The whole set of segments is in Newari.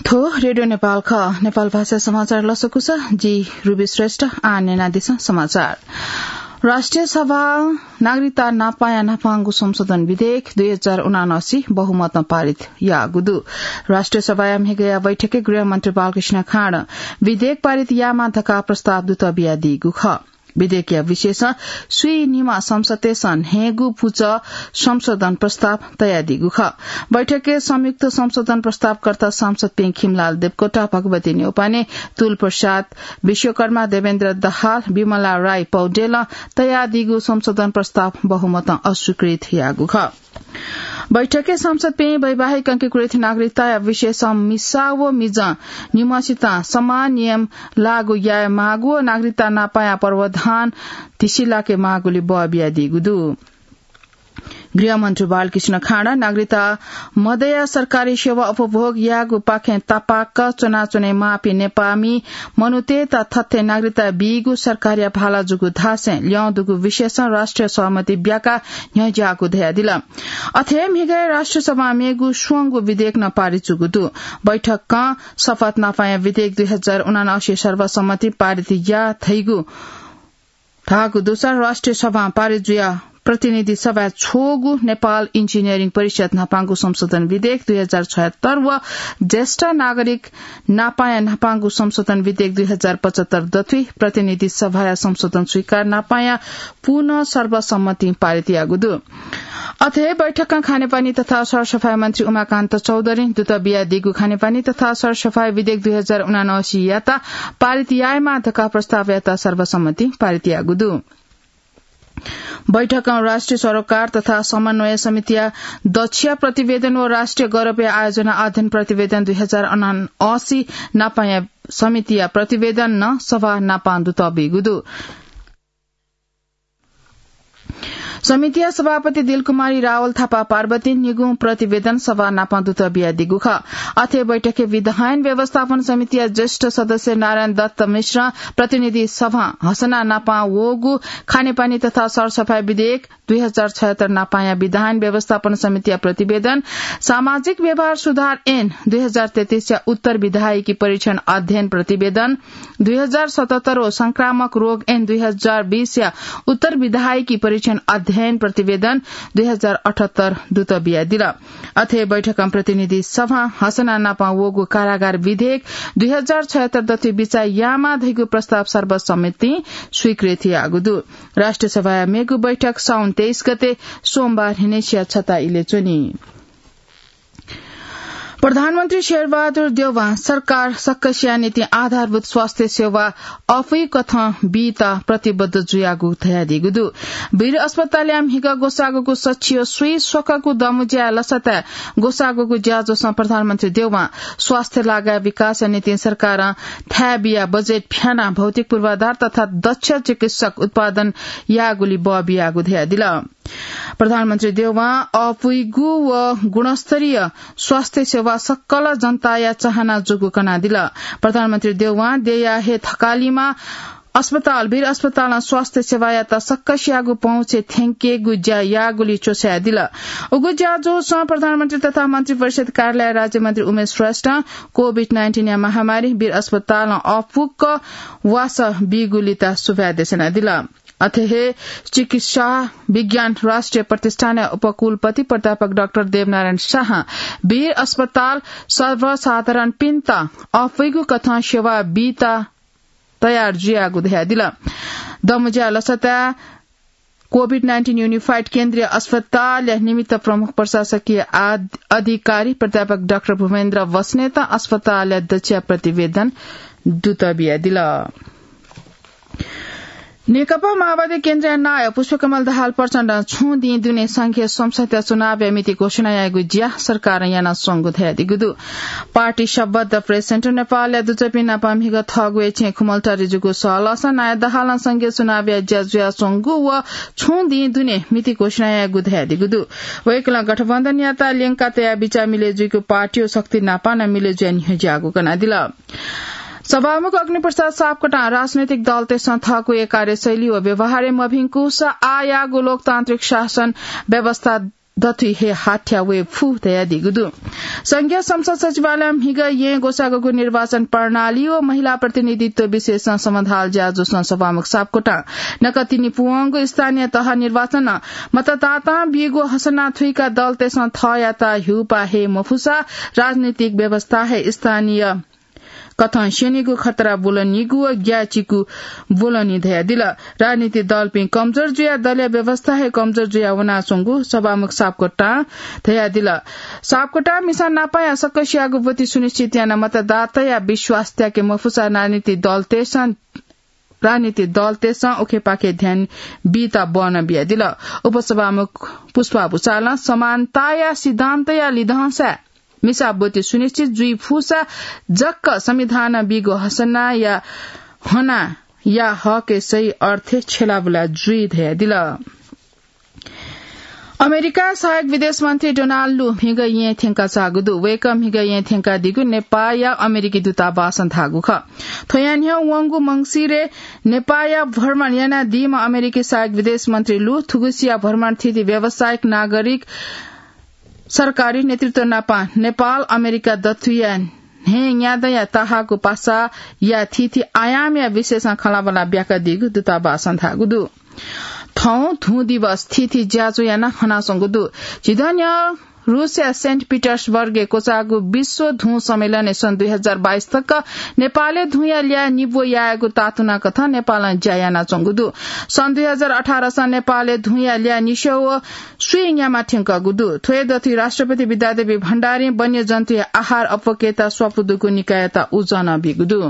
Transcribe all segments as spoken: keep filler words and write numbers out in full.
थ्व रेडियो नेपाल खः। नेपाल भाषा समाचार लसकुस, जि रुबी श्रेष्ठ। आः न्यनादिसँ समाचार। राष्ट्रिय सभा नागरिकता नापाया न्हापांगु संशोधन विधेयक दुई हजार उनासी बहुमतं पारित याःगु दु। राष्ट्रिय सभाया म्हिगया बैठकय् गृहमन्त्री बालकृष्ण खाँड विधेयक पारित यायेमाः धकाः प्रस्ताव दुत बियादीगु खः। विधेयकया विषयसं स्वीनिम्ह संसदय्‌सं न्हय्‌गू पुचः संशोधन प्रस्ताव तयादीगु खः। बैठकय् संयुक्त संशोधन प्रस्तावकर्ता सांसदपिं खिमलाल देवकोटा, भगवती न्यौपाने, तुल प्रसाद विश्वकर्मा, देवेन्द्र दाहाल, विमला राई पौडेलं तयादीगु संशोधन प्रस्ताव बहुमतं अस्वीकृत याःगु खः। बैठकय् सांसदपिं वैवाहिक अंगीकृत नागरिकताया विषयसं मिसा व मिजं निम्हसितं समान नियम लागू यायेमाःगु व नागरिकता नापाया प्रावधान धिसिलाकेमाःगुली बः बियादीगु दु। गृहमन्त्री बालकृष्ण खाँड नागरिकता मदया सरकारी सेवा उपभोग यायेगुपाखें तापाक च्वनाच्वनेमाःपिं नेपाःमि मनूतय्‌त थथे नागरिकता बीगु सरकारया भाला जूगु धासें ल्यं दुगु विषयसं राष्ट्रिय सहमति ब्याकाः न्ह्यज्याःगु धयादिल। अथे म्हिगय् राष्ट्रिय सभां मेगु स्वंगू विधेयक नं पारित जूगु दु। बैठकं शपथ नापाया विधेयक दुई हजार उनासी सर्वसम्मति पारित याः धइगु धाःगु दुसा राष्ट्रिय सभां पारित जुयाः प्रतिनिधि सभाय् छ्वःगु नेपाल इन्जिनियरिङ परिषद न्हापांगु संशोधन विधेयक दुई हजार छयत्तर व ज्येष्ठ नागरिक नापाया न्हापांगु संशोधन विधेयक दुई हजार पचहत्तर दथुइ प्रतिनिधि सभाया संशोधन स्वीकार नापाया पुनः सर्वसम्मतिं पारित याःगु दु। अथे बैठकं खानेपानी तथा सरसफाई मन्त्री उमाकान्त चौधरीं दुत बियादीगु खानेपानी तथा सरसफाई विधेयक दुई हजार उनासी यात पारित यायेमाः धकाः प्रस्ताव यात सर्वसम्मतिं पारित याःगु दु। बैठकं राष्ट्रिय सरोकार तथा समन्वय समितिया दक्षिया प्रतिवेदन व राष्ट्रिय गौरवया आयोजना अध्ययन प्रतिवेदन दुई हजार उनासी नापाया समितिया प्रतिवेदन नं सभा नापां दुत बीगु दु। समितिया सभापति दिलकुमारी रावल थापा पार्वतीं निगुं प्रतिवेदन सभा नापां दुत बियादीगु खः। अथे बैठकय् विधायन व्यवस्थापन समितिया ज्येष्ठ सदस्य नारायण दत्त मिश्रं प्रतिनिधि सभां हसना नापां वःगु खानेपानी तथा सरसफाई विधेयक दुई हजार छयत्तर नापाया विधायन व्यवस्थापन समितिया प्रतिवेदन, सामाजिक व्यवहार सुधार ऐन दुई हजार तेत्तीसया उत्तर विधायकी परीक्षण अध्ययन प्रतिवेदन, दुई हजार सतहत्तर व संक्रामक रोग ऐन दुई हजार बीसया उत्तर विधायकी परीक्षण अध्ययन प्रतिवेदन दुई हजार अठहत्तर दुत बियादिल। अथे बैठकं प्रतिनिधि सभां हसना नापां वःगु कारागार विधेयक दुई हजार छयत्तर दथुइ बिचाः यायेमाः धइगु प्रस्ताव सर्वसम्मतिं स्वीकृत याःगु दु। राष्ट्रिय सभाया मेगु बैठक साउन तेइस गते सोमबार न्हिनय्‌सिया छता इलय् च्वनी। प्रधानमन्त्री शेरबहादुर देउवां सरकार सकसिया निंतिं आधारभूत स्वास्थ्य सेवा अःपुइकथं बीत प्रतिबद्ध जुयागु धयादीगु दु। वीर अस्पतालया म्हिगः ग्वसाःगुगु सच्छियो स्वीस्वकःगु दमुज्याया लसताय् ग्वसाःगुगु ज्याझ्वलय् प्रधानमन्त्री देउवां स्वास्थ्य लागाय् विकासया निंतिं सरकारं थाय् बियाः बजेट फ्यानाः भौतिक पूर्वाधार तथा दक्ष चिकित्सक उत्पादन याःगुली बः बियाःगु धयादिल। प्रधानमन्त्री देउवां अःपुइगु व गुणस्तरीय स्वास्थ्य सेवा सकल जनताया चाहना जूगु कनादिल। प्रधानमन्त्री देउवां देया हे थकालिमा अस्पताल, वीर अस्पतालं स्वास्थ्य सेवायात सकसियागु पहुँचय् थ्यंकेगु ज्या याःगुली च्वछायादिल। उगु ज्याझ्वलय् प्रधानमन्त्री तथा मन्त्रिपरिषद कार्यालय राज्यमन्त्री उमेश श्रेष्ठं कोभिड नाइन्टिनया महामारी वीर अस्पतालं अःपुक वासः बीगुलित सुभाय् देछानादिल। अथे हे चिकित्सा विज्ञान राष्ट्रिय प्रतिष्ठानया उपकुलपति प्राध्यापक डाक्टर देवनारायण शाहं वीर अस्पताल सर्वसाधारणपिन्त अःपुइगु कथं सेवा बीत तयार जुयागु धयादिल। दमुज्या लसताय् कोभिड नाइन्टिन युनिफाइड केन्द्रीय अस्पतालया निमित्त प्रमुख प्रशासकीय आध-, अधिकारी प्राध्यापक डाक्टर भूपेन्द्र बस्नेतं अस्पतालया दक्ष प्रतिवेदन दुत बियादिल। नेकपा माओवादी केन्द्रीय नायः पुष्पकमल दाहाल प्रचण्डं छुं दिं दुने संघीय संसदया चुनावया मिति घोषणा यायेगु ज्या सरकारं यानाच्वंगु धयादीगु दु। पार्टी शब्द प्रेस सेन्टर नेपालया दुजःपिं नाप म्हिगः थःगु हे छेँय् खुमलटारी जूगु सहलहसं नायः दाहालं संघीय चुनावया ज्या जुयाच्वंगु व छुं दिं दुने मिति घोषणा यायेगु धयादीगु दु। वय्कलं गठबन्धनयात ल्यंका तयाः बिचाः मिलय् जुइगु पार्टी व शक्ति नाप नं मिलय् जुयाः न्ह्यज्याःगु कनादिल। सभामुख अग्निप्रसाद सापकोटां राजनैतिक दलतय्सं थःगु हे कार्यशैली व व्यवहारय् मभिंकूसा आः याःगु लोकतान्त्रिक शासन व्यवस्था दथुइ हे हाथ्या वये फु धयादीगु दु। संघीय संसद सचिवालयं म्हिगः येँ ग्वसाःगु निर्वाचन प्रणाली व महिला प्रतिनिधित्व विषयसं समाधान ज्याझ्वलय् सभामुख सापकोटां नकतिनि पुवंगु स्थानीय तह निर्वाचनं मतदातां बीगु हसना थुइकाः दलतय्सं थःयात ह्यूपाः हे मफुसा राजनीतिक व्यवस्था हे स्थानीय कथं स्यनीगु खतरा ब्वलनीगु व ग्याःचिकु ब्वलनी धयादिल। राजनीतिक दलपिं कमजोर जुयाः दलया व्यवस्था हे कमजोर जुयाः वनाच्वंगु सभामुख सापकोटां धयादिल। सापकोटां मिसा नापाया सकसियागु ब्वति सुनिश्चित यानाः मतदाताया विश्वास त्याके मफुसा राजनीतिक दलतय्सं राजनीतिक दलतय्सं उखेपाखे ध्यान बीत बहना बियादिल। उपसभामुख पुष्पा भुसालं समानताया सिद्धान्तया लिधंसाय् मिसा ब्वति सुनिश्चित जुइ फुसा जक संविधानं बीगु हसनाया हनाया हकय् सही अर्थय् छ्यलाबुला जुइ धयादिल। अमेरिका सहायक विदेश मन्त्री डोनाल्ड लु म्हिगः येँ थ्यंका चाःगु दु। वय्कः म्हिगः येँ थ्यंकादीगु नेपाःया अमेरिकी दूतावासं धाःगु खः। थ्वया न्ह्यः वंगु मंसिरय् नेपाःया भ्रमण यानादीम्ह अमेरिकी सहायक विदेश मन्त्री लु थुगुसिया भ्रमण थीथी व्यावसायिक, नागरिक, सरकारी नेतृत्व नाप नेपाल अमेरिका दथुइया न्हय्न्यादँया तहाःगु पासाया थीथी आयामया विषयसं खँल्हाबल्हा ब्याकादीगु दूतावासं धाःगु दु। थौं धुँ दिवस थीथी ज्याझ्वः यानाः हनाच्वंगु दु। झिदँ न्ह्यः रूसया सेन्ट पिटर्सबर्गय् क्वचाःगु विश्व धुँ सम्मेलनय् सन् दुई हजार बाइस तक नेपालय् धुँया ल्याः निब्व यायेगु तातुना कथं नेपालं ज्या यानाच्वंगु दु। सन् दुई हजार अठारसं नेपालय् धुँया ल्याः निस्यं व स्वीन्यामा थ्यंकःगु दु। थ्व हे दथुइ राष्ट्रपति विद्यादेवी भण्डारीं वन्यजन्तुया आहार अप्वकेत स्वापू दुगु निकाययात उजं नं बीगु दु।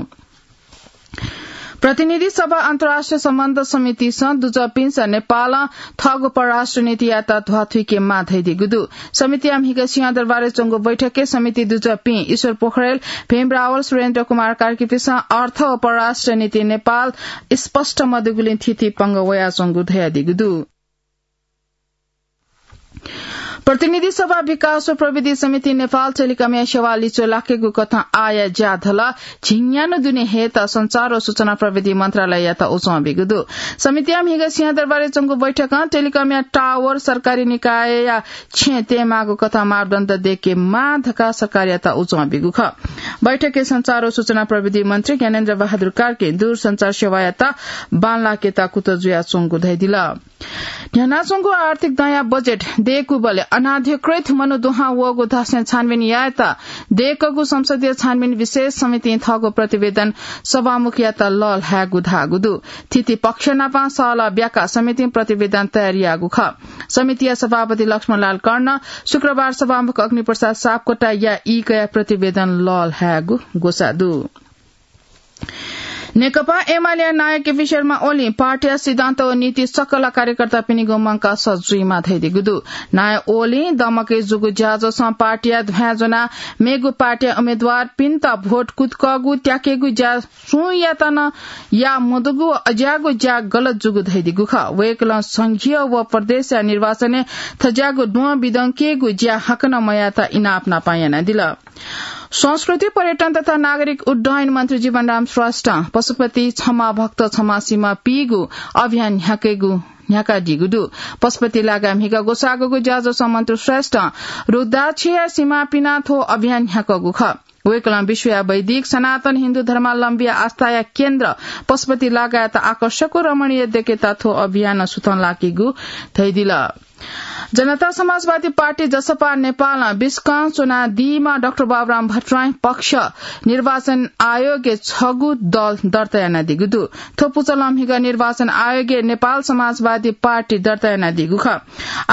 प्रतिनिधि सभा अन्तर्राष्ट्रिय सम्बन्ध समितिसं दुजःपिन्सं नेपालं थःगु परराष्ट्र नीतियात ध्वाथुइके माः धयादीगु दु। समितिया म्हिगः सिंहदरबारय् च्वंगु बैठकय् समिति दुजःपिं ईश्वर पोखरेल, भीम रावल, सुरेन्द्र कुमार कार्कीपिन्सं अर्थ व परराष्ट्र नीति नेपाल स्पष्ट मदुगुलिं थीथी पंगः वयाच्वंगु धयादीगु दु। प्रतिनिधि सभा विकास व प्रविधि समिति नेपाल टेलिकमया सेवा लिच्वः लाकेगु कथं आःया ज्याधलः झिंन्यान्हु दुने हयेत सञ्चार व सूचना प्रविधि मन्त्रालययात उजं बीगु दु। समितिया म्हिगः सिंहदरबारय् च्वंगु बैठकं टेलिकमया टावर सरकारी निकायया छेँय् तयेमाःगु कथं मापदण्ड दयेके माः धकाः सरकारयात उजं बीगु खः। बैठकय् सञ्चार व सूचना प्रविधि मन्त्री ज्ञानेन्द्र बहादुर कार्कीं दूरसञ्चार सेवायात बांलाकेत कुतः जुयाच्वंगु धयादिल। न्ह्यानाच्वंगु आर्थिक दँया बजेट दय्कूबलय् अनाधिकृत मनू दुहां वःगु धासें छानबिन यायेत दय्कूगु संसदीय छानबिन विशेष समितिं थःगु प्रतिवेदन सभामुखयात लःल्हायेगु धाःगु दु। थीथी पक्ष नाप सहलह ब्याकाः समितिं प्रतिवेदन तयार याःगु खः। समितिया सभापति लक्ष्मणलाल कर्णं शुक्रबार सभामुख अग्निप्रसाद सापकोटाया ई कयाः प्रतिवेदन लःल्हायेगु ग्वसाः दु। नेकपा एमालेया नायः केपी शर्मा ओलीं पार्टीया सिद्धान्त व नीति सकल कार्यकर्तापिनिगु मंकाः सः जुइमाः धयादीगु दु। नायः ओलीं दमकय् जूगु ज्याझ्वलय् पार्टीया ध्वाँय् ज्वनाः मेगु पार्टीया उम्मेदवारपिन्त भोट कुतुकःगु, त्याकेगु ज्या सुं यात नं याः मदुगु व अज्याःगु ज्या गलत जूगु धयादीगु खः। वय्कलं संघीय व प्रदेशया निर्वाचनय् थज्याःगु द्वँ बिदंकेगु ज्या हाकनं मयायेत इनाप नाप यानादिल। संस्कृति, पर्यटन तथा नागरिक उड्डयन मन्त्री जीवनराम श्रेष्ठं पशुपति क्षमा भक्त क्षमा सीमा पीगु अभियान न्ह्याकेगु न्ह्याकादीगु दु। पशुपति लागाय् म्हिगः ग्वसाःगु ज्याझ्वलय् मन्त्री श्रेष्ठं रुद्राक्षया सीमा पिनाः थ्व अभियान न्ह्याकूगु खः। वय्कलं विश्वया वैदिक सनातन हिन्दू धर्मावलम्बीया आस्थाया केन्द्र पशुपति लागाय्‌यात आकर्षक व रमणीय दयेकेत थ्व अभियानं सुथं लाकीगु धयादिल। जनता समाजवादी पार्टी, जसपा, नेपालं बिस्कं च्वनादीम्ह डाक्टर बाबुराम भट्टराईं पक्ष निर्वाचन आयोगय् छगू दल दर्ता यानादीगु दु। थ्व पुचलं म्हिगः निर्वाचन आयोगय् नेपाल समाजवादी पार्टी दर्ता यानादीगु खः।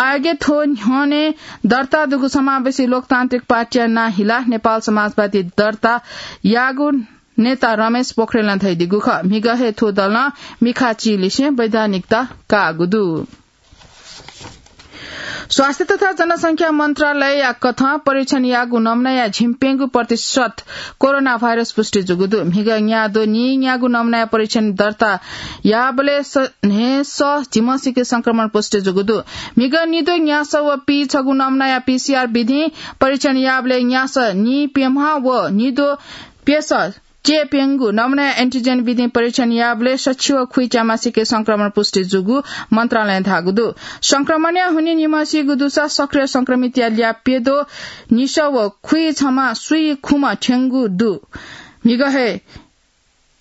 आयोगय् थ्व न्ह्यःने दर्ता दुगु समावेशी लोकतान्त्रिक पार्टीया नां हिलाः नेपाल समाजवादी दर्ता याःगु नेता रमेश पोखरेलं धयादीगु खः। म्हिगः हे थ्व दलं मिखा चिलिसें वैधानिकता काःगु दु। स्वास्थ्य तथा जनसंख्या मन्त्रालयया कथं परीक्षण याःगु नमुनाया झिंप्यंगू प्रतिशत कोरोना भाइरस पुष्टि जूगु दु। म्हिगः न्याद्वः नीन्यागू नमुनाया परीक्षण दर्ता याःबलय् स-, न्हय्सः झिम्हसिके संक्रमण पुष्टि जूगु दु। म्हिगः निद्वः न्यासः व पीछगू नमुनाया पीसीआर विधिं परीक्षण याःबलय् न्यासः नीप्यम्ह व निद्वः प्यसः च्येप्यंगु नमुना एन्टिजेन विधिं परीक्षण याःबलय् सछि व खुइ च्यामासिके संक्रमण पुष्टि जूगु मन्त्रालयं धाःगु दु। संक्रमणया हुनिं निम्हसिगु दुसा सक्रिय संक्रमितया ल्याः प्यद्वः निसः व खुइ छम्ह सुइ खुम्ह थ्यंगु दु। म्हिगः हे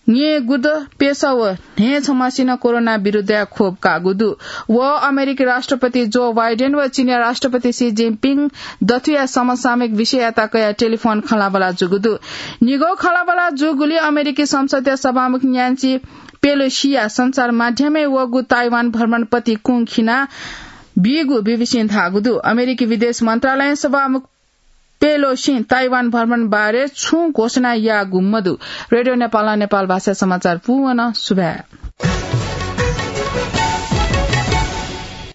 न्येगुद्वः प्यसः व न्हय्‌छम्हसिनं कोरोना विरुद्धया खोप काःगु दु। व अमेरिकी राष्ट्रपति जो बाइडेन व चीनया राष्ट्रपति सी जिनपिङ दथुया समसामयिक विषययात कयाः टेलिफोन खँल्हाबल्हा जूगु दु। निगः खँल्हाबल्हा जूगुलिं अमेरिकी संसदया सभामुख न्यान्सी पेलोसीया सञ्चार माध्यमय् वःगु ताइवान भ्रमणपति कुंखिना बीगु बीबीसीं धाःगु दु। अमेरिकी विदेश मन्त्रालयं सभामुख पेलोसीं ताइवान भ्रमण बारे छुं घोषणा याःगु मदु। रेडियो नेपालं नेपाल भाषा समाचार पूवन सुभाय्।